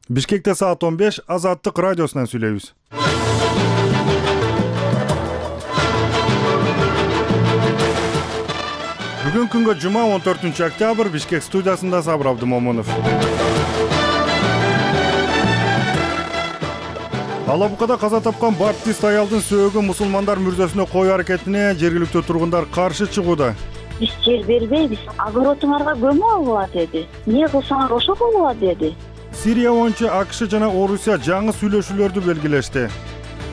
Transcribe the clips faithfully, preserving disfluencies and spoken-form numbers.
Бишкекте саат он беш, Азаттык радиосунан сүйлөйбүз. Бүгүн күнгө жума он төртүнчү октябрь, Бишкек студиясында Сабыр Абдымомунов. Алабукада каза тапкан баптист аялдын сөөгүн мусулмандар мүрзөсүнө коюу аракетине жергиликтүү тургундар каршы чыгууда. Биз жер бербейбиз, огородуңарга көмө алгыла деди. Эмне кылсаңар ошо болула деди. Сирия боюнча АКШ жана Орусия жаңы сүйлөшүүлөрдү белгилешти.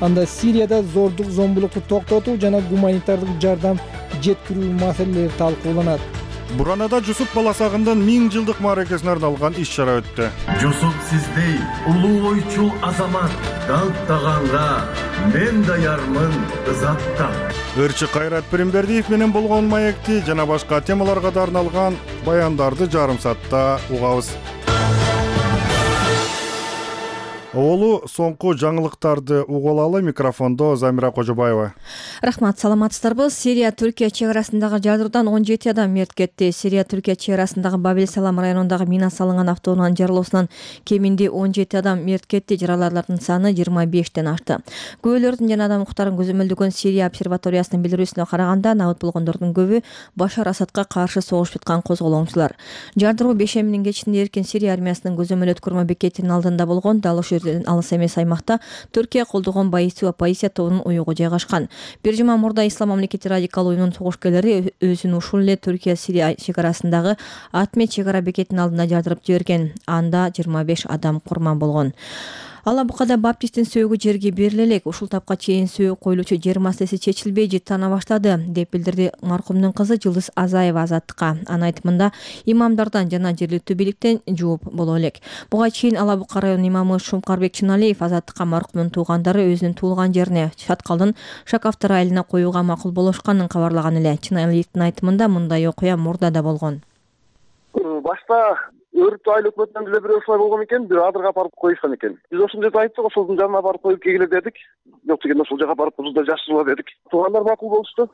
Анда Сирияда зордук, зомбулукту токтотуу жана гуманитардык жардам жеткирүү маселелери талкууланат. Буранада Жусуп Баласагындын миң жылдык мааракесине арналган иш-чара өттү. Жусуп сиздей улуу ойчул азамат даңктаганга мен даярмын ызатта. Ырчы Кайрат Пиримбердиев менен болгон маекти жана башка темаларга да арналган баяндарды жарым саатта угабыз. Оолу соңку жаңылыктарды угулалы. Микрофондо Замира Кожобаева. Рахмат, саламатсыздарбы? Сирия Түркия чек арасындагы жардыруудан он жети адам мерт кетти. Сирия Түркия чек арасындагы Бабель-Салам районундагы мина салынган автоунаанын жарылуусунан кеминде он жети адам мерт кетти. Жараларлардын саны жыйырма бештен ашты. Күбөлөрдүн жана адам укуктарын көзөмөлдөгөн Сирия обсерваториясынын билдирүүсүнө караганда, набыт болгондордун көбү Башар Асадка каршы согушуп жаткан козголоңчулар. Жардыруу бешембинин кечинде эркин Сирия армиясынын көзөмөл өткөрмө бекетинин алдында болгон. Дал ошол алыс эмес аймакта Түркия колдогон байысуу оппозиция тобунун уюгу жайгашкан. Бир жума мурда Ислам мамлекети радикал уюмунун согушкерлери өзүн ушул эле Түркия-Сирия чек арасындагы Атмет чек ара бекетинин алдына жардырып жиберген. Анда жыйырма беш адам курман болгон. Алабукада баптисттин сөөгү жерге бериле элек. Ушул тапка чейин сөөгү коюлуучу жер маселеси чечилбей жыттана баштады, деп билдирди маркумдун кызы Жылдыз Азаева Азаттыкка. Анын айтымында, имамдардан жана жергиликтүү бийликтен жооп боло элек. Буга чейин Алабука районунун имамы Шумкарбек Чыналиев Азаттыкка маркумдун туугандары өзүнүн туулган жерине Шаткалдын Шакафтар айылына коюуга макул болушканын кабарлаган эле. Чыналиевдин айтымында, мындай окуя мурда да болгон. Башта Өрүптү айыл өкмөтүнөн деле бир ушулай болгон экен, бир адырга барып коюшкан экен. Биз ошол жерде айттык, ошолдун жанына барып коюп келгиле дедик. Жок дегенде ошол жака барып бузда жашырыла дедик. Туугандар макул болушту.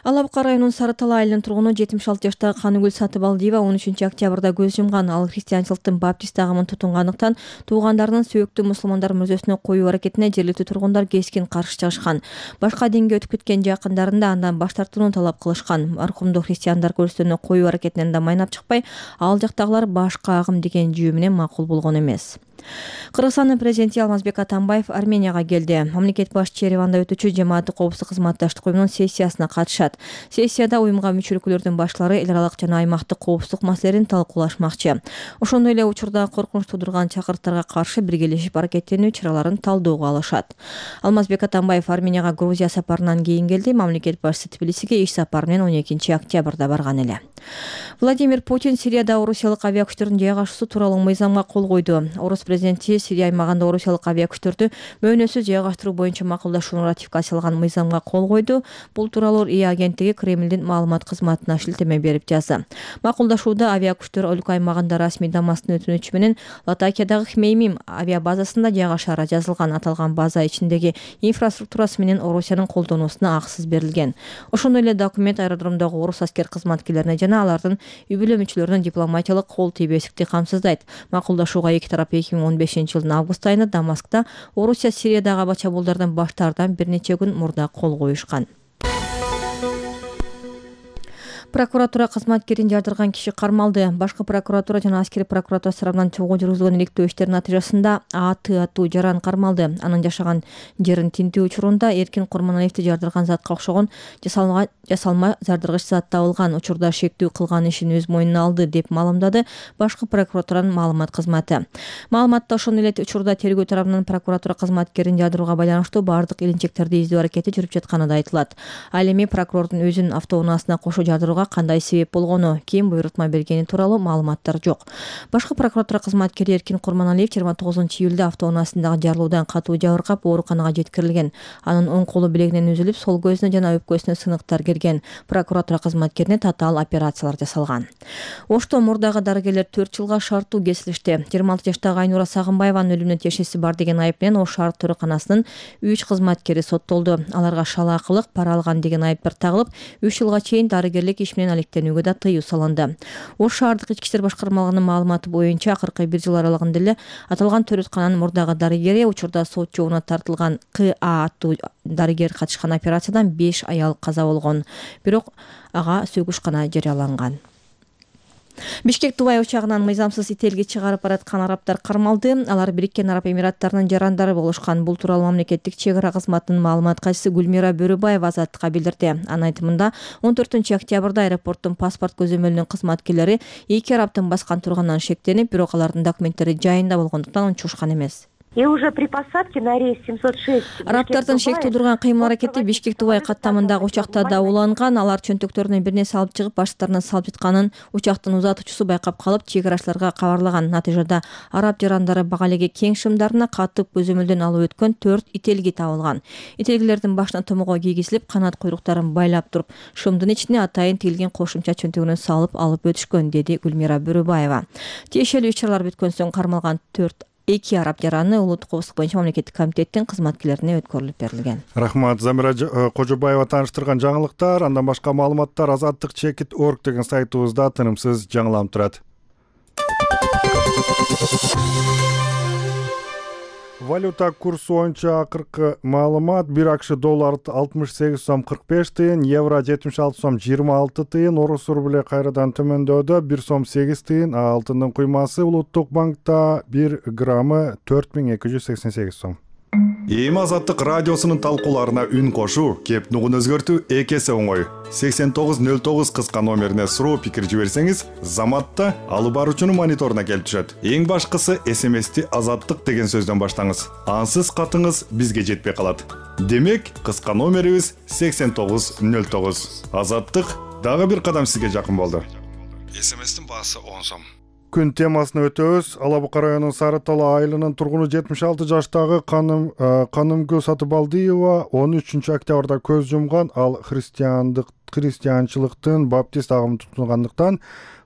Алабука районунун Сары Тала айылынын тургуну жетимиш алты жаштагы Каныгүл Сатыбалдиева он үчүнчү октябрда көз жумган. Ал христианчылыктын баптист агымын тутунгандыктан туугандарынын сөөктүү мусулмандар мүрзөсүнө коюу аракетине жергиликтүү тургундар кескин каршы чыгышкан. Башка динге өтүп кеткен жакындарында андан баш тартууну талап кылышкан. Маркумду христиандар көрсөтүүнү коюу аракетинен да майнап чыкпай, ал жактагылар башка агым деген жүйө менен макул болгон эмес. Кыргызстандын президенти Алмазбек Атамбаев Арменияга келди. Мамлекет башчысы Ереванда өтүүчү жамааттык коопсуздук кызматташтык уюмунун сессиясына катышат. Сессияда уюмга мүчө өлкөлөрдүн башлары эл аралык жана аймактык коопсуздук маселелерин талкуулашмакчы. Ошондой эле учурда коркунуч туудурган чакырыктарга каршы биргелешип аракеттенүү чараларын талдөөгө алышат. Алмазбек Атамбаев Арменияга Грузия сапарынан кийин келди. Мамлекет башчысы Тбилисиге иш сапары менен он экинчи октябрда барган эле. Владимир Путин Сирияда орусиялык авиакүчтөрдүн жайгашуусу тууралуу мыйзамга кол койду. Орус президенти Сирия аймагында орусиялык авиакүчтөрдү мөөнөсүз жайгаштыруу боюнча макулдашууну ратификацияланган мыйзамга кол койду. Бул тууралуу ИА агенттиги Кремлдин маалымат кызматына шилтеме берип жазды. Макулдашууда авиакүчтөр өлкө аймагында расмий Дамасктын өтүнүчү менен Латакиядагы Хмеймим авиабазасында жайгашаары жазылган. Аталган база ичиндеги инфраструктурасы менен Орусиянын колдонуусуна акысыз берилген. Ошондой эле документ аэродромдогу орус аскер кызматкерлерине жана алардын үй бүлө мүчөлөрүнүн дипломатиялык кол тийбестикти камсыздайт. Макулдашууга эки тарап эки миң он бешинчи жылдын август айында Дамаскта Орусия Сириядагы аба чабуулдардан баш тартуудан бир нече күн мурда кол коюшкан. Прокуратура кызматкерин жардырган киши кармалды. Башкы прокуратура жана аскери прокуратура тарабынан чогуу жүргүзүлгөн иликтөө иштеринин натыйжасында А Т аттуу жаран кармалды. Анын жашаган жерин тинтүү учурунда Эркин Курманалиевди жардырган затка окшогон жасалма жасалма жардыргыч зат табылган. Учурда шектүү кылган ишин өз мойнуна алды, деп маалымдады башкы прокуратуранын маалымат кызматы. Маалыматта ошондой эле учурда тергөө тарабынан прокуратура кызматкерин жардырууга байланыштуу бардык илинчектерди издөө аракети жүрүп жатканы да айтылат. Ал эми прокурордун өзүнүн автоунаасына кошо жардырууга кандай себеп болгону, ким буйрутма бергени тууралуу маалыматтар жок. Башкы прокуратура кызматкери Эркин Курманалиев жыйырма тогузунчу июлда автоунаасындагы жарылуудан катуу жабыркап ооруканага жеткирилген. Анын оң колу билегинен үзүлүп, сол көзүнө жана өпкөсүнө сыныктар келген. Прокуратура кызматкерине татаал операциялар жасалган. Ошто мурдагы дарыгерлер төрт жылга шарттуу кесилишти. жыйырма алты жаштагы Айнура Сагынбаеванын өлүмүнө тиешеси бар деген айып менен Ош шаар төрөканасынын үч кызматкери соттолду. Аларга шалаакылык, пара алган деген айыптар тагылып, үч жылга чейин дарыгерлик иш иш менен алектенүүгө да тыюу салынды. Ош шаардык ички иштер башкармалыгынын маалыматы боюнча акыркы бир жыл аралыгында эле аталган төрөткананын мурдагы дарыгери учурда сот жообуна тартылган К А аттуу дарыгер катышкан операциядан беш аял каза болгон, бирок ага сөгүш гана жарыяланган. Бишкек Дубай учагынан мыйзамсыз ителги чыгарып бараткан арабтар кармалды. Алар Бириккен Араб Эмираттарынын жарандары болушкан. Бул тууралуу мамлекеттик чек ара кызматынын маалымат катчысы Гүлмира Бөрөбаева Азаттыкка билдирди. Анын айтымында он төртүнчү октябрда аэропорттун паспорт көзөмөлүнүн кызматкерлери эки арабтын баскан турганынан шектенип, бирок алардын документтери жайында болгондуктан унчушкан эмес. И уже при посадке на рейс семьсот шесть арабтардын шек туудурган кыймыл аракети Бишкек Дубай каттамындагы учакта да уланган. Алар чөнтөктөрүнө бир нерсе алып чыгып баштарына салып жатканын учактын узатуучусу байкап калып, чек арачыларга кабарлаган. Натыйжада араб жарандары багалеги кең шымдарына катып көзөмөлдөн алып өткөн төрт ителги табылган. Ителгилердин башына томого кийгизилип, канат куйруктарын байлап туруп, шымдын ичине атайын тигилген кошумча чөнтөгүнөн салып алып өтүшкөн, деди Гүлмира Бөрөбаева. Тиешелүү иш-чаралар бүткөн соң кармалган төрт эки араб жараны улуттук коопсуздук боюнча мамлекеттик комитеттин кызматкерлерине өткөрүлүп берилген. Рахмат. Замира Кожобаева тааныштырган жаңылыктар. Андан башка маалыматтар азаттык чекит точка орг деген сайтыбызда тынымсыз жаңыланып турат. Валюта курсу боюнча акыркы маалымат: бир АКШ доллар алтымыш сегиз сом кырк беш тыйын, евро жетимиш алты сом жыйырма алты тыйын, орус рубле кайрадан төмөндөдө бир сом сегиз тыйын, а алтындын куймасы улуттук банкта бир граммы төрт миң эки жүз сексен сегиз сом. Эми Азаттык радиосунун талкууларына үн кошуу, кеп нугун өзгөртүү эки эсе оңой. сексен тогуз нөл тогуз кыска номерине суроо пикир жиберсеңиз, Заматта алып баруучунун мониторуна келип түшөт. Эң башкысы эс эм эсти Азаттык деген сөздөн баштаңыз. Ансыз катыңыз бизге жетпей калат. Демек, кыска номерибиз сексен тогуз нөл тогуз. Азаттык дагы бир кадам сизге жакын болду. эс эм эстин баасы он сом. Күн темасына өтөбүз. Ала Бука районунун Сары Тала айылынын тургуну жетимиш алты жаштагы Каным Канымгүл Сатыбалдиева он үчүнчү октябрда көз жумган. Ал христиандык христианчылыктын баптист агымын тутунгандыктан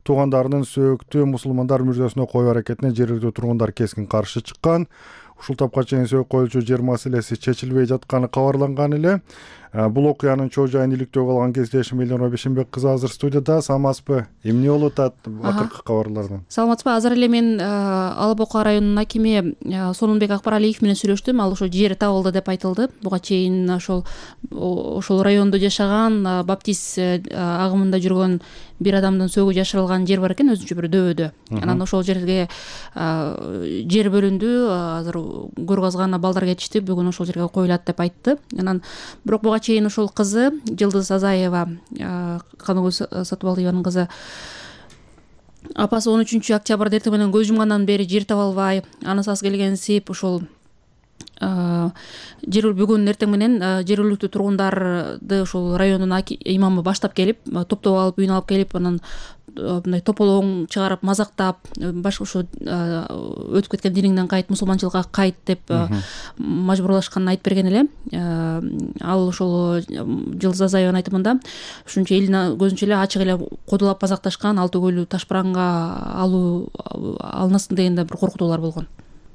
туугандарынын сөөктүү мусулмандар мүрзөсүнө коюу аракетине жергиликтүү тургундар кескин каршы чыккан. Ушул тапка чейин сөөк коюлчу жер маселеси чечилбей жатканы кабарланган эле. Бул окуянын чоо жайын иликтөө кылган кездешим Элнура Бешенбек кызы азыр студияда. Саламатсызбы? Эмне болуп атат акыркы кабарлардан? Саламатсызбы? Азыр эле мен Ала Бука районунун акими Сонунбек Акбаралиев менен сүйлөштүм. Ал ошо жер табылды деп айтылды. Буга чейин ошол ошол райондо жашаган, баптист агымында жүргөн бир адамдын сөөгү жашырылган жер бар экен, өзүнчө бир дөбөдө. Анан ошол жерге жер бөлүндү. Азыр көргазган балдар кетишти. Бүгүн ошол жерге коюлат деп айтты. Анан бирок буга чейин ошол кызы Жылдыз Азаева, Каныгүл Сатыбалдиеванын кызы, апасы он үчүнчү октябрда эртең менен көз жумгандан бери жер таба албай, анысыз келгенсип ошол жер бүгүн эртең менен жергиликтүү тургундарды ошол райондун имамы баштап келип, топтоп алып, үйүнө алып келип, анан мындай тополоң чыгарып, мазактап, башка ошо өтүп кеткен диниңден кайт, мусулманчылыкка кайт деп мажбурлашканын айтып берген эле. Ал ошол Жылдыз Азаеванын айтымында ушунча элин көзүнчө эле ачык эле кодулап мазакташкан, ал түгүл ташбаранга алуу алынасың дегенде бир коркутуулар болгон.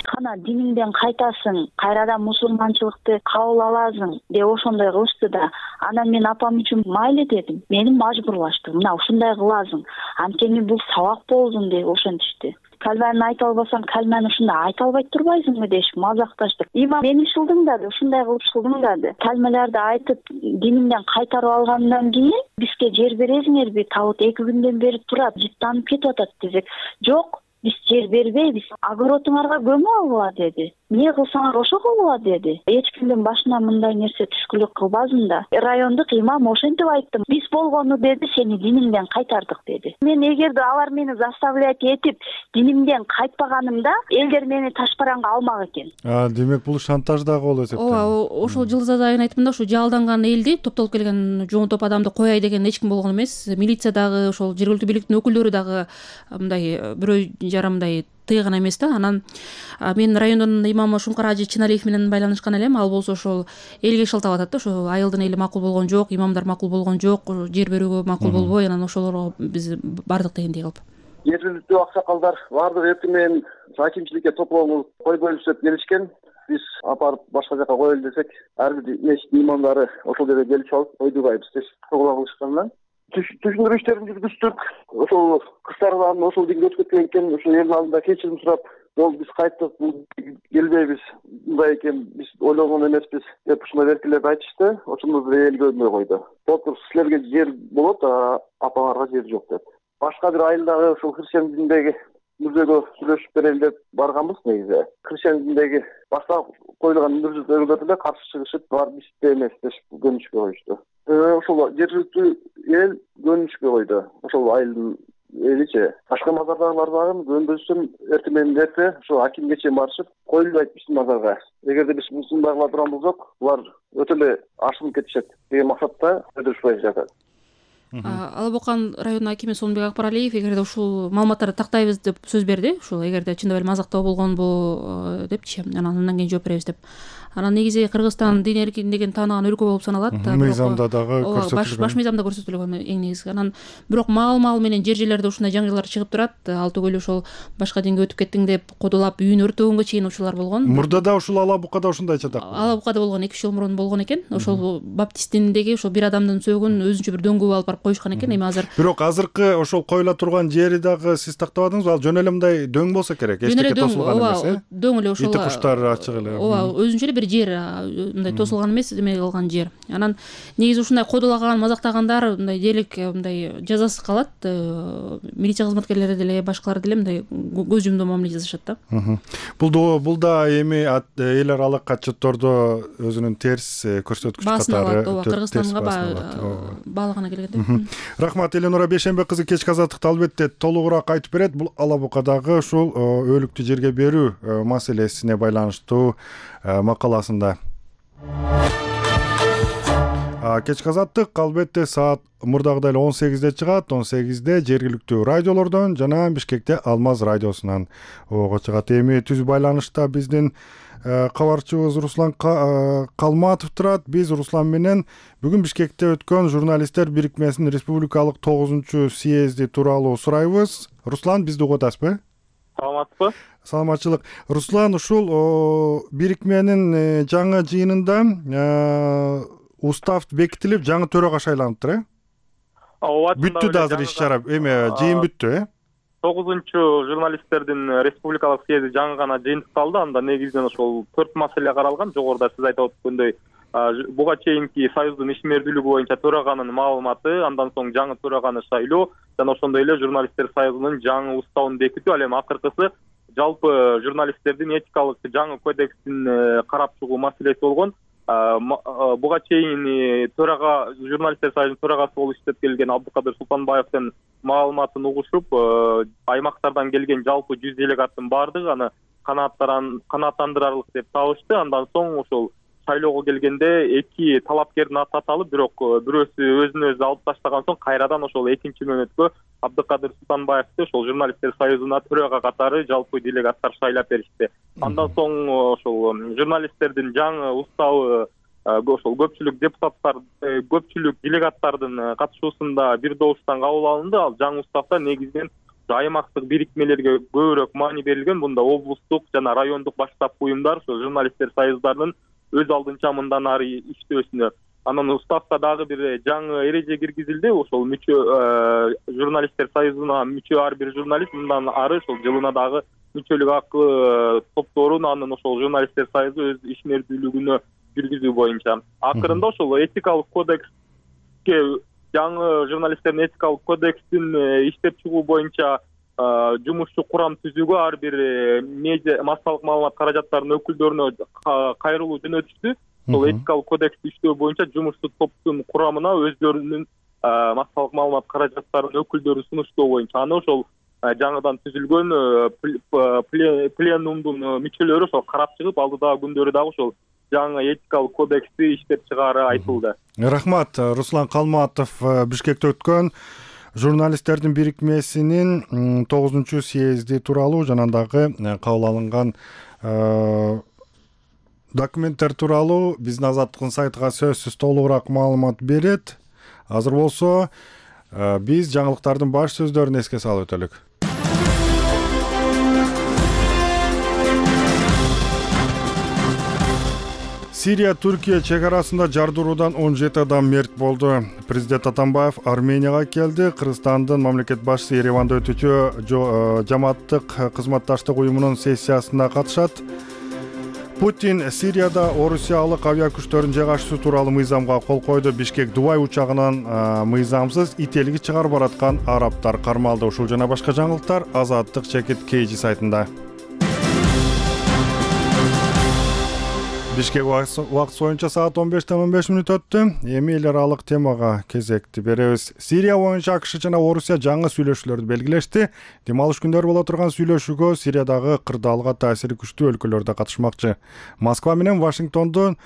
Кана диниңден кайтасың, кайрадан мусулманчылыкты кабыл аласың деп ошондой кылышты да. Анан мен апам үчүн майлы дедим. Мени мажбурлашты. Мына ушундай кыласың. Анткени бул сабак болдун деп ошентишти. Калманы айта албасаң, калманы ушундай айта албай турбайсыңбы дешип мазакташты. Имам мени шылдыңдады, ушундай кылып шылдыңдады. Калмаларды айтып, диниңден кайтарып алгандан кийин бизге жер бересиңерби? Табыт эки күндөн бери турат, жыттанып кетип атат десек, жок, биз жер бербейбиз. Огородуңарга көмүп алгыла деди. Эмне кылсаңар ошо кылгыла деди. Эч кимдин башына мындай нерсе түшкүлүк кылбасын да. Райондук имам ошентип айтты. Биз болгону деди, сени диниңден кайтардык деди. Мен эгерде алар мени заставлять этип динимден кайтпаганымда, элдер мени ташбаранга алмак экен. А, демек бул шантаж дагы болуп эсептелет. Ооба, ошол Жылдыз Азаеванын айтымында ошо жалданган элди, топтолуп келген жоон топ адамды кояй деген эч ким болгон эмес. Милиция дагы, ошол жергиликтүү бийликтин өкүлдөрү дагы мындай бирөө жарымдай тыйган эмес да. Анан мен райондун имамы Шумкар Ажы Чыналиев менен байланышкан элем. Ал болсо ошол элге шылтап атат да. Ошо айылдын эли макул болгон жок, имамдар макул болгон жок, жер берүүгө макул болбой, анан ошолорго биз бардык дегендей кылып. Жергиликтүү аксакалдар бардыгы эртең менен акимчиликке топлоону койбойлуп деп келишкен. Биз апарып башка жака коелу десек, ар бир мешит имамдары ошол жерге келип алып койдубайбыз деп кылгылап кылышкандан түшүндүрүү иштерин жүргүздүк. Ошол кыздардан ошол деңгээлде өтүп кеткен экен, ошол элдин алдында кечирим сурап, жол биз кайттык, келбейбиз, мындай экен, биз ойлогон эмеспиз деп ушундай эркелеп айтышты. Ошондо бир эл көрмөй койду. Толтур силерге жер болот, а апаңарга жер жок деп. Башка бир айылдагы ошол христиан динидеги мүрзөгө сүйлөшүп берели деп барганбыз негизи. Христиан динидеги башка коюлган мүрзөлөр деле каршы чыгышып, бар бизде эмес деп көнүшкө коюшту. Ошол жергиликтүү эл көнүшкө койду. Ошол айылдын эличи. Башка мазардагылар дагы көнбөсүн эртең менен эрте ошо акимге чейин барышып, коюлбайт биздин мазарга. Эгерде биз мусулмандагылар турган болсок, булар өтө эле ашынып кетишет деген максатта өдүрүшпөй жатат. Ала Бокан районунун акими Сонбек Акбаралиев эгерде ушул маалыматтарды тактайбыз деп сөз берди. Ушул эгерде чындап эле мазактоо болгонбу депчи, анан андан кийин жооп беребиз деп. Анан негизи Кыргызстан дин эркиндигин тааныган өлкө болуп саналат. Мыйзамда дагы көрсөтүлгөн. Баш мыйзамда көрсөтүлгөн эң негизги. Анан бирок маал-маал менен жер жерлерде ушундай жаңгыйлар чыгып турат. Ал түгүл ошол башка динге өтүп кеттиң деп кодулап үйүн өртөгөнгө чейин учурлар болгон. Мурда да ушул Ала Букада ушундайча да. Ала Букада болгон эки үч жыл мурун болгон экен. Ошол баптист дининдеги ошол бир адамдын сөөгүн өзүнчө бир дөңгө алып барып коюшкан экен. Эми азыр бирок азыркы ошол коюла турган жери дагы сиз тактабадыңызбы? Ал жөн эле мындай дөң болсо керек, эчтеке тосулган эмес, э? Дөң эле ошол. Ити куштар ачык эле. Ооба, өзүнчө эле бир жер, мындай тосулган эмес, эме кылган жер. Анан негизи ушундай кодулаган, мазактагандар мындай дээрлик мындай жазасы калат. Милиция кызматкерлери деле, башкалар деле мындай көз жумдуу мамиле жасашат да. Бул бул да эми эл аралык отчеттордо өзүнүн терс көрсөткүч катары Кыргызстанга баалагана келгенде. Рахмат, Эленора Бейшенбек кызы кечки азаттыкты албетте толугураак айтып берет. Бул Ала Букадагы ушул өлүктү жерге берүү маселесине байланыштуу макаласында. Кечки азаттык албетте саат мурдагыдай эле он сегизде чыгат, он сегизде жергиликтүү радиолордон жана Бишкекте Алмаз радиосунан ого чыгат. Эми түз байланышта биздин кабарчыбыз Руслан Калматов турат. Биз Руслан менен бүгүн Бишкекте өткөн журналисттер бирикмесинин республикалык тогузунчу съезди тууралуу сурайбыз. Руслан, бизди угуп атасызбы? Саламатсызбы? Саламатчылык. Руслан, ушул бирикменин жаңы жыйынында устав бекитилип, жаңы төрага шайланыптыр, э? Ооба. Бүттү да азыр иш-чара, эме жыйын бүттү, э? тогузунчу журналисттердин республикалык съезди жаңы гана жыйынтыкталды. Анда негизинен ошол төрт маселе каралган. Жогоруда сиз айтып өткөндөй, буга чейинки союздун ишмердүүлүгү боюнча төраганын маалыматы, андан соң жаңы төраганы шайлоо жана ошондой эле журналисттер союзунун жаңы уставын бекитүү. Ал эми акыркысы жалпы журналисттердин этикалык жаңы кодексин карап чыгуу маселеси болгон. Буга чейин төрага журналисттер союзунун төрагасы болуп иштеп келген Абдыкадыр Султанбаевдин маалыматын угушуп, аймактардан келген жалпы жүз делегаттын баардыгы аны канааттандырарлык деп табышты. Андан соң ошол шайлоого келгенде эки талапкердин аты аталып, бирок бирөөсү өзүн өзү алып таштаган соң кайрадан ошол экинчи мөөнөткө Абдыкадыр Султанбаевди ошол журналисттер союзуна төрага катары жалпы делегаттар шайлап беришти. Андан соң ошол журналисттердин жаңы уставы ошол көпчүлүк депутаттар, көпчүлүк делегаттардын катышуусунда бир добуштан кабыл алынды. Ал жаңы уставда негизинен аймактык бирикмелерге көбүрөөк маани берилген. Бунда облустук жана райондук баштапкы уюмдар ошол журналисттер союздарынын өз алдынча мындан ары иштөөсүнө. Анан уставда дагы бир жаңы эреже киргизилди. Ошол мүчө журналисттер союзуна мүчө ар бир журналист мындан ары ошол жылына дагы мүчөлүк акы топторун анын ошол журналисттер союзу өз ишмердүүлүгүнө жүргүзүү боюнча. Акырында ошол этикалык кодекске, жаңы журналисттердин этикалык кодексин иштеп чыгуу боюнча жумушчу курам түзүүгө ар бир медиа массалык маалымат каражаттарынын өкүлдөрүнө кайрылуу жөнөтүштү. Сол этикалык кодексти иштөө боюнча жумушчу топтун курамына өздөрүнүн массалык маалымат каражаттарынын өкүлдөрүн сунуштоо боюнча аны ошол жаңыдан түзүлгөн пленумдун мүчөлөрү ошол карап чыгып, алдыдагы күндөрү дагы ошол жаңы этикалык кодексти иштеп чыгаары айтылды. Рахмат. Руслан Калматов Бишкекте өткөн журналисттердин бирикмесинин тогузунчу съезди тууралуу жана дагы кабыл алынган документтер тууралуу биздин Азаттыктын сайтыга сөзсүз толугураак маалымат берет. Азыр болсо биз жаңылыктардын баш сөздөрүн эске салып өтөлүк. Сирия Түркия чек арасында жардыруудан он жети адам мерт болду. Президент Атамбаев Арменияга келди. Кыргызстандын мамлекет башчысы Ереванда өтүүчү жамааттык кызматташтык уюмунун сессиясына катышат. Путин Сирияда орусиялык авиа күчтөрүн жайгашуу тууралуу мыйзамга кол койду. Бишкек Дубай учагынан мыйзамсыз ителги чыгарып бараткан арабтар кармалды. Ушул жана башка жаңылыктар Азаттык чекит Кейжи сайтында. Бишкек убакыт боюнча саат он бештен он беш мүнөт өттү. Эми эл аралык темага кезекти беребиз. Сирия боюнча АКШ жана Орусия жаңы сүйлөшүүлөрдү белгилешти. Дем алыш күндөрү боло турган сүйлөшүүгө Сириядагы кырдаалга таасири күчтүү өлкөлөр да катышмакчы. Москва менен Вашингтондун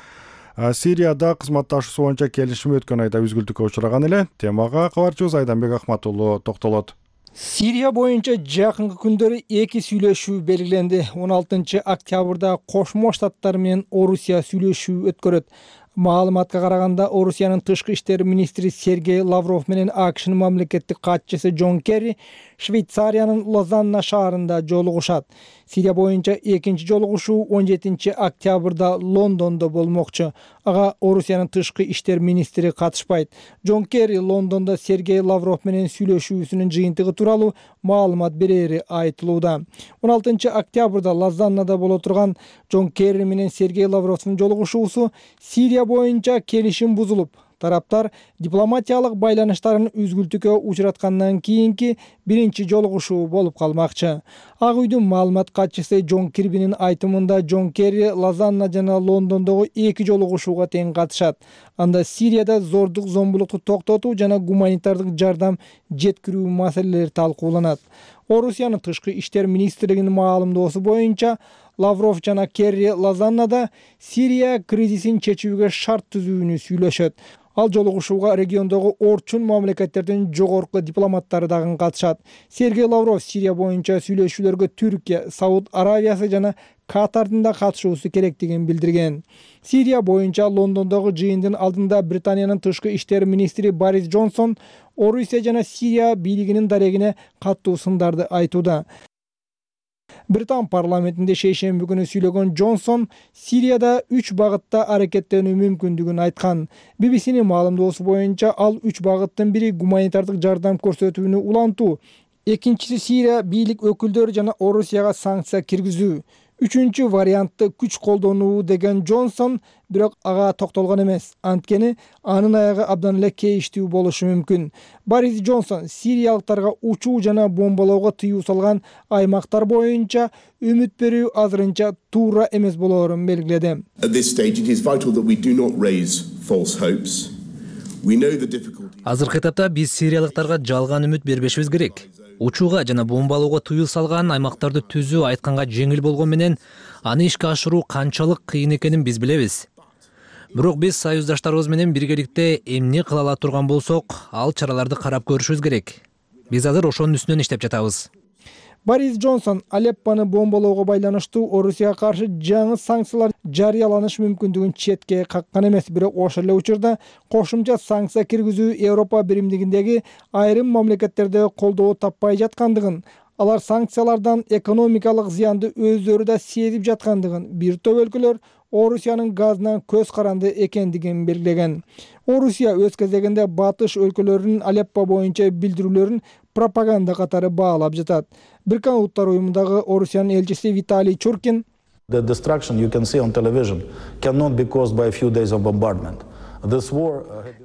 Сирияда кызматташуу боюнча келишими өткөн айда үзгүлтүккө учураган эле. Темага кабарчыбыз Айданбек Ахмат уулу токтолот. Сирия боюнча жакынкы күндөрү эки сүйлөшүү белгиленди. он алтынчы октябрда Кошмо Штаттар менен Орусия сүйлөшүү өткөрөт. Маалыматка караганда Орусиянын тышкы иштер министри Сергей Лавров менен АКШнын мамлекеттик катчысы Джон Керри Швейцариянын Лозанна шаарында жолугушат. Сирия боюнча экинчи жолугушуу он жетинчи октябрда Лондондо болмокчу. Ага Орусиянын тышкы иштер министри катышпайт. Джон Керри Лондондо Сергей Лавров менен сүйлөшүүсүнүн жыйынтыгы тууралуу маалымат берери айтылууда. он алтынчы октябрда Лозаннада боло турган Джон Керри менен Сергей Лавровдун жолугушуусу Сирия боюнча келишим бузулуп, тараптар дипломатиялык байланыштарын үзгүлтүккө учураткандан кийинки биринчи жолугушуу болуп калмакчы. Ак үйдүн маалымат катчысы Джон Кирбинин айтымында Джон Керри Лозанна жана Лондондогу эки жолугушууга тең катышат. Анда Сирияда зордук зомбулукту токтотуу жана гуманитардык жардам жеткирүү маселелери талкууланат. Орусиянын тышкы иштер министрлигинин маалымдоосу боюнча Лавров жана Керри Лозаннада Сирия кризисин чечүүгө шарт түзүүнү сүйлөшөт. Ал жолугушууга региондогу орчун мамлекеттердин жогорку дипломаттары дагы катышат. Сергей Лавров Сирия боюнча сүйлөшүүлөргө Түркия, Сауд Аравиясы жана Катардын да катышуусу керектигин билдирген. Сирия боюнча Лондондогу жыйындын алдында Британиянын тышкы иштер министри Борис Джонсон Орусия жана Сирия бийлигинин дарегине каттуу сындарды айтууда. Британ парламентинде шейшемби күнү сүйлөгөн Джонсон Сирияда үч багытта аракеттенүү мүмкүндүгүн айткан. би би синин маалымдоосу боюнча ал үч багыттын бири гуманитардык жардам көрсөтүүнү улантуу, экинчиси Сирия бийлик өкүлдөрү жана Орусияга санкция киргизүү, үчүнчү вариантты күч колдонуу деген Джонсон, бирок ага токтолгон эмес. Анткени анын аягы абдан эле кейиштүү болушу мүмкүн. Борис Джонсон сириялыктарга учуу жана бомбалоого тыюу салган аймактар боюнча үмүт берүү азырынча туура эмес болоорун белгиледи. Азыркы этапта биз сириялыктарга жалган үмүт бербешибиз керек. Учууга жана бомбалоого тыюу салган аймактарды түзүү айтканга жеңил болгон менен аны ишке ашыруу канчалык кыйын экенин биз билебиз. Бирок биз союздаштарыбыз менен биргеликте эмне кыла ала турган болсок, ал чараларды карап көрүшүбүз керек. Биз азыр ошонун үстүнөн иштеп жатабыз. Борис Джонсон Алеппону бомбалоого байланыштуу Орусияга каршы жаңы санкциялар жарыяланыш мүмкүндүгүн четке каккан эмес, бирок ошол эле учурда кошумча санкция киргизүү Европа биримдигиндеги айрым мамлекеттерде колдоо таппай жаткандыгын, алар санкциялардан экономикалык зыянды өздөрү да сезип жаткандыгын, бир топ өлкөлөр Орусиянын газынан көз каранды экендигин белгилеген. Орусия өз кезегинде батыш өлкөлөрүнүн Алеппо боюнча билдирүүлөрүн пропаганда катары баалап жатат. Бириккен Улуттар уюмундагы Орусиянын элчиси Виталий Чуркин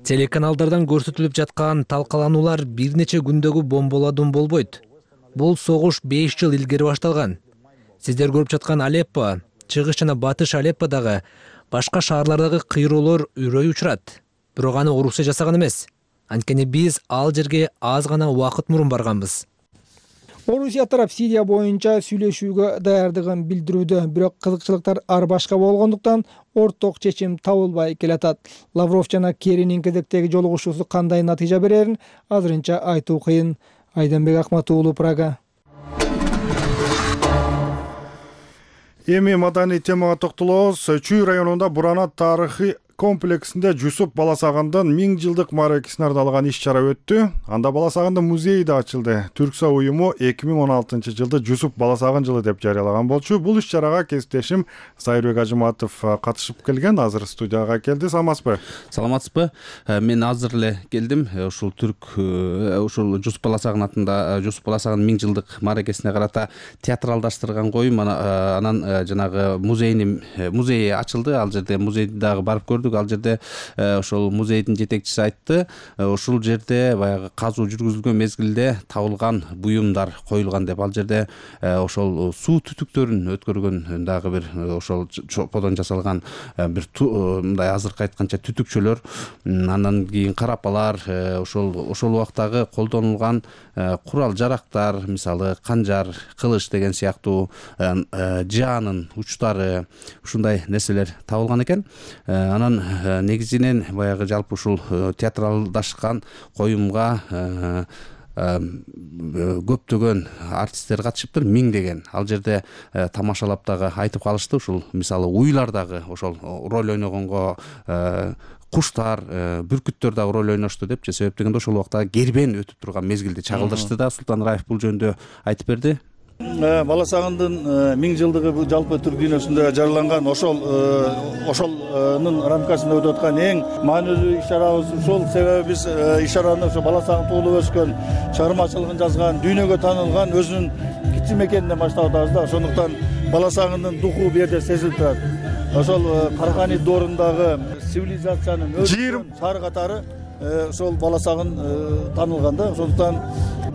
телеканалдардан көрсөтүлүп жаткан талкалануулар бир нече күндөгү бомбаладуун болбойт. Бул согуш беш жыл илгери башталган. Сиздер көрүп жаткан Алеппо, чыгыш жана батыш Алепподагы башка шаарлардагы кыйроолор үрөй учурат. Бирок аны Орусия жасаган эмес. Анткени биз ал жерге аз гана убакыт мурун барганбыз. Орусия тарап Сирия боюнча сүйлөшүүгө даярдыгын билдирүүдө, бирок кызыкчылыктар ар башка болгондуктан орток чечим табылбай келатат. Лавров жана Керринин кезектеги жолугушуусу кандай натыйжа берерин азырынча айтуу кыйын. Айданбек Ахмат уулу, Прага. Эми маданий темага токтолобуз. Чүй районунда Буранат тарыхый комплексинде Жусуп Баласагындын миң жылдык мааракесине арналган иш чара өттү. Анда Баласагындын музейи да ачылды. Түркса уюму эки миң он алтынчы жылды Жусуп Баласагын жылы деп жарыялаган болчу. Бул иш чарага кесиптешим Сайырбек Ажыматов катышып келген. Азыр студияга келди. Саламатсызбы? Саламатсызбы? Мен азыр эле келдим. Ушул түрк ушул Жусуп Баласагын атында Жусуп Баласагын миң жылдык мааракесине карата театралдаштырган коюм анан жанагы музейни музей ачылды. Ал жерде музейди дагы барып көрдүк. Ал жерде ошол музейдин жетекчиси айтты, ушул жерде баягы казуу жүргүзүлгөн мезгилде табылган буюмдар коюлган деп. Ал жерде ошол суу түтүктөрүн өткөргөн дагы бир ошол чоподон жасалган бир мындай азыркы айтканча түтүкчөлөр, андан кийин карапалар, ошол ошол убактагы колдонулган курал жарактар, мисалы канжар, кылыч деген сыяктуу жаанын учтары, ушундай нерселер табылган экен. Анан негизинен баягы жалпы ушул театралдашкан коюмга көптөгөн артисттер катышыптыр, миңдеген. Ал жерде тамашалап дагы айтып калышты. Ушул мисалы уйлар дагы ошол роль ойногонго куштар, бүркүттөр дагы роль ойношту депчи. Себеп дегенде ошол убакта кербен өтүп турган мезгилде чагылдырышты да. Султан Раев бул жөнүндө айтып берди. Баласагындын миң жылдыгы бул жалпы түрк дүйнөсүндө жарыяланган ошол ошолнун рамкасында өтүп аткан эң маанилүү иш-чарабыз ушул. Себеби биз иш-чараны ошо Баласагын туулуп өскөн, чыгармачылыгын жазган, дүйнөгө таанылган өзүнүн кичи мекенинен баштап атабыз да. Ошондуктан Баласагындын духу бу жерде сезилип турат. Ошол Карахани доорундагы цивилизациянын өсүн шаар катары ошол Баласагын таанылган да. Ошондуктан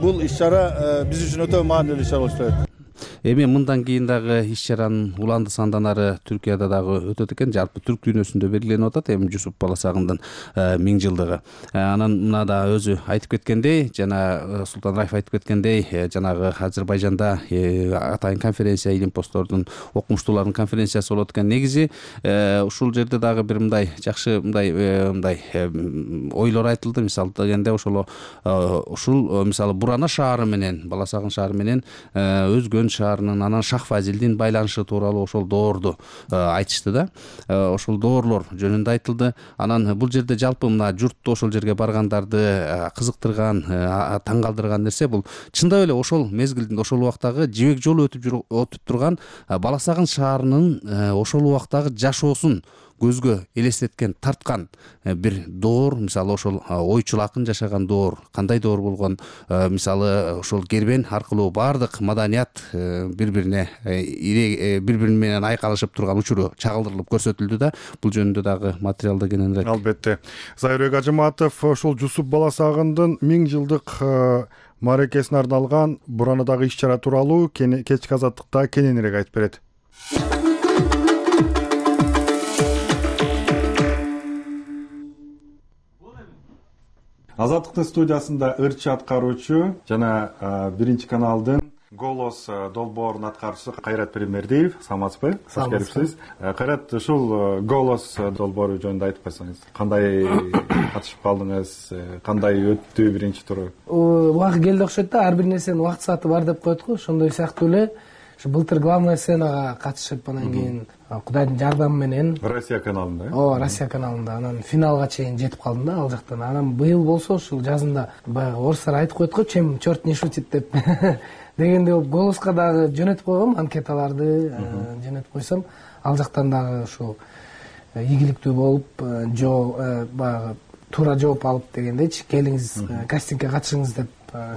бул иш-чара биз үчүн өтө маанилүү иш-чара болуп атат. Эми мындан кийин дагы иш-чаранын уланды санданары Түркияда дагы өтөт экен. Жалпы түрк дүйнөсүндө белгиленип атат эми Жусуп Баласагындын миң жылдыгы. Анан мына да өзү айтып кеткендей, жана Султан Раев айтып кеткендей, жанагы Азербайжанда атайын конференция, илим-посттордун окумуштуулардын конференциясы болот экен. Негизи ушул жерде дагы бир мындай жакшы мындай мындай ойлор айтылды. Мисалы дегенде ошол ушул мисалы Бурана шаары менен Баласагын шаары менен өзгөн шаар анан Шах Фазилдин байланышы тууралуу ошол доорду айтышты да. Ошол доорлор жөнүндө айтылды. Анан бул жерде жалпы мына журтту ошол жерге баргандарды кызыктырган, таң калтырган нерсе бул чындап эле ошол мезгилдин ошол убактагы жибек жолу өтүп өтүп турган Баласагын шаарынын ошол убактагы жашоосун көзгө элестеткен, тарткан бир доор. Мисалы ошол ойчул акын жашаган доор, кандай доор болгон, мисалы ошол кербен аркылуу баардык маданият бири-бирине бири-бири менен айкалышып турган учуру чагылдырылып көрсөтүлдү да. Бул жөнүндө дагы материалда кененирээк. Албетте. Сайырбек Ажыматов ушул Жусуп Баласагындын миң жылдык мааракесине арналган Буранадагы иш-чара тууралуу кечки азаттыкта кененирээк айтып берет. Азаттыктын студиясында ырчы аткаруучу жана биринчи каналдын Голос долбоорунун аткаруучусу Кайрат Пиримбердиев. Саламатсызбы? Кош келипсиз. Кайрат, ушул Голос долбоору жөнүндө айтып койсоңуз. Кандай катышып калдыңыз? Кандай өттү биринчи туру? Убакыт келди окшойт да, ар бир нерсенин убакыт сааты бар деп коет го. Ошондой сыяктуу эле былтыр главная сценага катышып, анан кийин Кудайдын жардамы менен Россия каналында. Ооба, Россия каналында анан финалга чейин жетип калдым да ал жактан. Анан быйыл болсо ушул жазында баягы орустар айтып коет го, чем черт не шутит деп. Дегенде Голоско дагы жөнөтүп койгом, анкеталарды жөнөтүп койсом, ал жактан дагы ушул ийгиликтүү болуп, жоо баягы туура жооп алып дегендейчи, келиңиз кастингге катышыңыз деп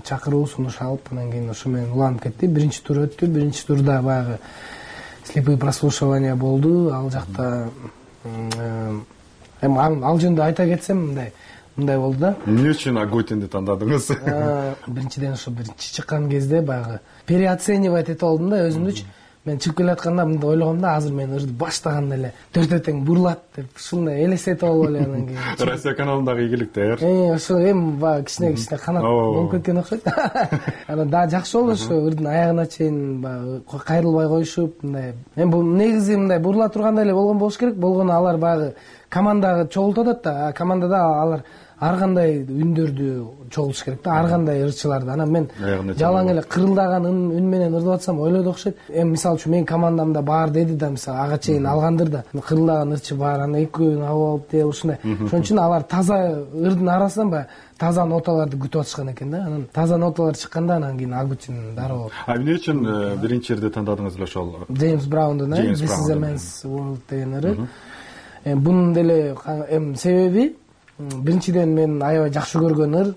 чакыруу, сунуш алып, анан кийин ошо менен уланып кетти. Биринчи тур өттү. Биринчи турда баягы слепые прослушивания болду. Ал жакта эми ал жөнүндө айта кетсем, мындай мындай болду да. Эмне үчүн Агутинди тандадыңыз? Биринчиден ошо биринчи чыккан кезде баягы переоценивать этип алдым да өзүмдүчү. Мен чыгып келатканда мындай ойлогом да, азыр мен ырды баштаганда эле төртө тең бурлат деп ушундай элестетип алып эле анан кийин Россия каналындагы ийгиликтер. Э, ошо эми баягы кичине кичине канат болуп кеткен окшойт. Анан дагы жакшы болду ошо ырдын аягына чейин баягы кайрылбай коюшуп, мындай. Эми бул негизи мындай бурла тургандай эле болгон болуш керек. Болгону алар баягы командага чогултуп атат да, командада алар ар кандай үндөрдү чогултуш керек да, ар кандай ырчыларды. Анан мен жалаң эле кырылдаган үн менен ырдап атсам ойлоду окшойт. Эми мисалы үчүн менин командамда бар деди да, мисалы ага чейин алгандыр да, кырылдаган ырчы бар, анан экөөнү алып алып деп ушундай. Ошон үчүн алар таза ырдын арасынан баягы таза ноталарды күтүп атышкан экен да. Анан таза ноталар чыкканда анан кийин ал үчүн дароо. А эмне үчүн биринчи ырды тандадыңыз эле ошол? Джеймс Браундун This is a Man's World деген ыры. Эми бунун деле эми себеби биринчиден мен аябай жакшы көргөн ыр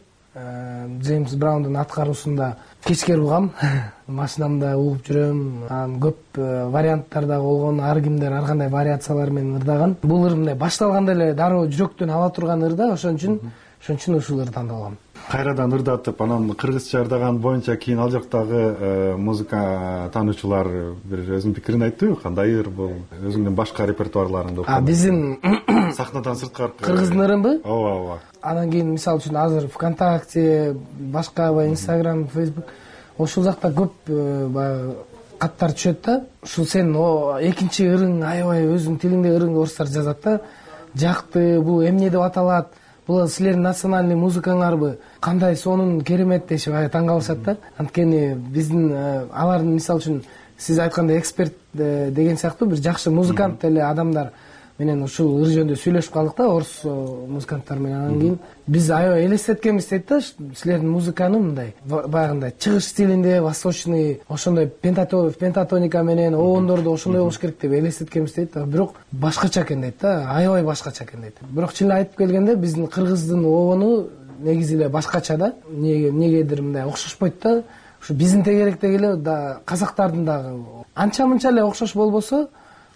Джеймс Браундун аткаруусунда кечкер угам, машинамда угуп жүрөм. Анан көп варианттарда болгон, ар кимдер ар кандай вариациялар менен ырдаган. Бул ыр мындай башталганда эле дароо жүрөктөн ала турган ыр да, ошон үчүн ошон үчүн ушул ыр тандалгам. Кайрадан ырдатып, анан кыргызча ырдаган боюнча кийин ал жактагы музыка таануучулар бир өзүнүн пикирин айттыбы? Кандай ыр бул? Өзүңдүн башка репертуарларыңды А биздин сахнадан сырткары кыргыздын ырынбы? Ооба, ооба. Анан кийин мисалы үчүн азыр ВКонтакте, башка Инстаграм, Фейсбук ошол жакта көп баягы каттар түшөт да. Ушул сен экинчи ырың аябай өзүңдүн тилиңде ырың орустар жазат да. Жакты, бул эмне деп аталат? Бул силердин национальный музыкаңарбы? Кандай сонун керемет дешип таң калышат да. Анткени биздин алардын мисалы үчүн сиз айткандай эксперт деген сыяктуу бир жакшы музыкант эле адамдар менен ушул ыр жөнүндө сүйлөшүп калдык да, орус музыканттар менен. Анан кийин биз аябай элестеткенбиз дейт да, силердин музыканы мындай баягындай чыгыш стилинде, восточный, ошондой пентатоника менен оондорду ошондой болуш керек деп элестеткенбиз дейт. Бирок башкача экен дейт да, аябай башкача экен дейт. Бирок чын эле айтып келгенде биздин кыргыздын оону негизи эле башкача да, эмнегедир мындай окшошпойт да. Ушу биздин тегеректеги эле да, казактардын дагы анча мынча эле окшош болбосо,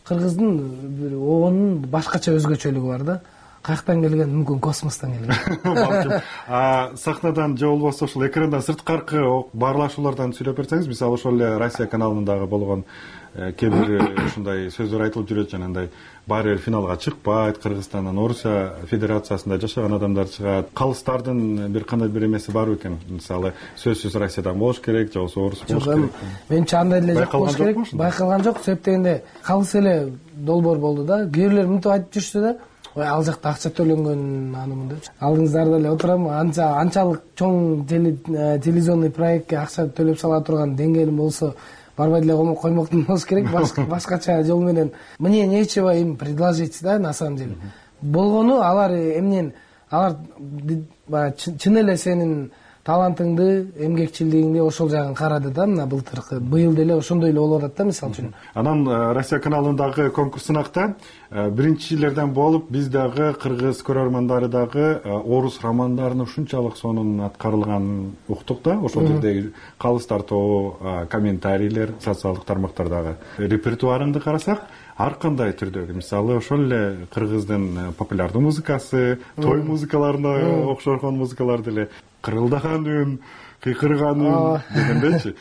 кыргыздын бир оонун башкача өзгөчөлүгү бар да. Каяктан келген? Мүмкүн космостон келген. А сахнадан же болбосо ушул экрандан сырткаркы баарлашуулардан сүйлөп берсеңиз, мисалы ошол эле Россия каналындагы болгон кээ бир ушундай сөздөр айтылып жүрөт, жанагындай баары бир финалга чыкпайт, Кыргызстандан Орусия Федерациясында жашаган адамдар чыгат. Калыстардын бир кандай бир эмеси бар экен? Мисалы сөзсүз Россиядан болуш керек, же болбосо орус болуш керек. Менче андай эле жок болуш керек. Байкалган жок, себеп дегенде калыс эле долбоор болду да. Кээ бирлер мынтип айтып жүрүштү да. Ой, ал жакта акча төлөнгөн анымын деп. Алдыңыздарда эле отурам, анча анчалык чоң телевизионный проектке акча төлөп сала турган деңгээлим болсо, барбай деле коймоктун болуш керек, башкача жол менен. Мне нечего им предложить, да, на самом деле. Болгону алар эмнен, алар чын эле сенин талантыңды, эмгекчилдигиңди ошол жагын карады да, мына былтыркы. Быйыл деле ошондой эле болуп атат да, мисалы үчүн. Анан Россия каналындагы конкурс сынакта биринчилерден болуп, биз дагы кыргыз көрөрмандары дагы орус романдарын ушунчалык сонун аткарылганын уктук да. Ошол жердеги калыстар тобу, комментарийлер, социалдык тармактардагы репертуарыңды карасак, ар кандай түрдөгү, мисалы ошол эле кыргыздын популярдуу музыкасы, той музыкаларына окшогон музыкалар деле, кырылдаган үн, кыйкырган үн дегендейчи.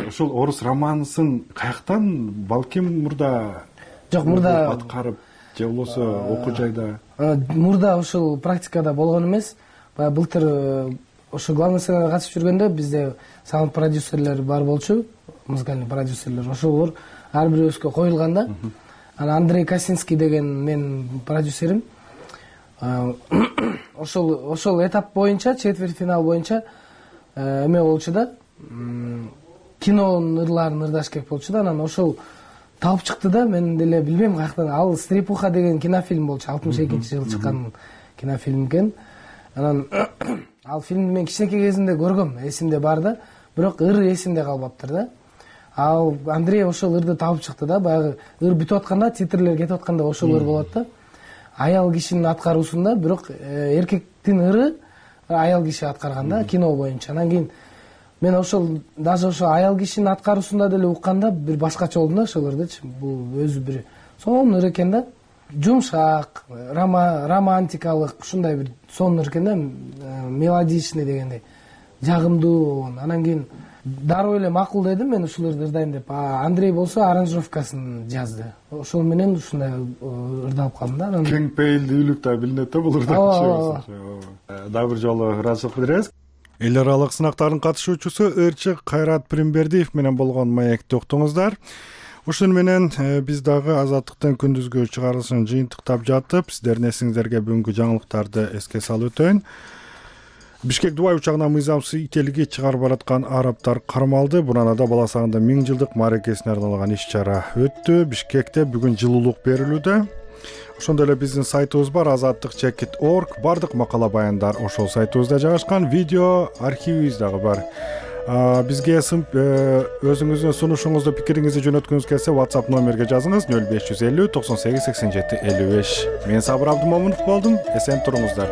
Ошол орус романсын каяктан, балким мурда жок, мурда аткарып, же болбосо окуу жайда? Мурда ушул практикада болгон эмес. Баягы былтыр ошо главный сценага катышып жүргөндө бизде саунд продюсерлер бар болчу, музыкальный продюсерлер. Ошолор ар бирөөбүзгө коюлган да. Анан Андрей Косинский деген мен продюсерим. Ошол ошол этап боюнча, четверть финал боюнча эме болчу да. Кинонун ырларын ырдаш керек болчу да. Анан ошол табып чыкты да. Мен деле билбейм каяктан. Ал Стрепуха деген кинофильм болчу. алтымыш экинчи жылы чыккан кинофильм экен. Анан ал фильмди мен кичинекей кезимде көргөм, эсимде бар да. Бирок ыр эсимде калбаптыр да. Ал Андрей ошол ырды табып чыкты да. Баягы ыр бүтүп атканда, титрлер кетип атканда ошол ыр болот да. Аял кишинин аткаруусунда, бирок эркектин ыры аял киши аткарган да, кино боюнча. Анан кийин мен ошол даже ошо аял кишинин аткаруусунда деле укканда бир башкача болдум да ошол ырдычы. Бул өзү бир сонун ыр экен да. Жумшак, романтикалык, ушундай бир сонун ыр экен да, мелодичный дегендей. Жагымдуу. Анан кийин дароо эле макул дедим мен ушул ырды ырдайм деп. Андрей болсо аранжировкасын жазды. Ошол менен ушундай ырдалып калдым да. Кең пейилдүүлүк да билинет да бул ырда. Дагы бир жолу ыраазычылык билдиребиз. Эл аралык сынактардын катышуучусу ырчы Кайрат Пиримбердиев менен болгон маекти уктуңуздар. ушуну менен биз дагы Азаттыктын күндүзгү чыгарылышын жыйынтыктап жатып, сиздердин эсиңиздерге бүгүнкү жаңылыктарды эске салып өтөйүн. Бишкек Дубай учагына мыйзамсыз ителги чыгарып бараткан арабтар кармалды. Буранада баласагында миң жылдык мааракесине арналган иш-чара өттү. Бишкекте бүгүн жылуулук берилүүдө. Ошондой эле биздин сайтыбыз бар азаттык чекит точка орг. Бардык макала баяндар ошол сайтыбызда жайгашкан. Видео архивибиз дагы бар. Бизге өзүңүздүн сунушуңузду, пикириңизди жөнөткүңүз келсе WhatsApp номерге жазыңыз нөл беш жүз элүү токсон сегиз сексен жети элүү беш. Мен Сабыр Абдымомунов болдум. Эсен туруңуздар.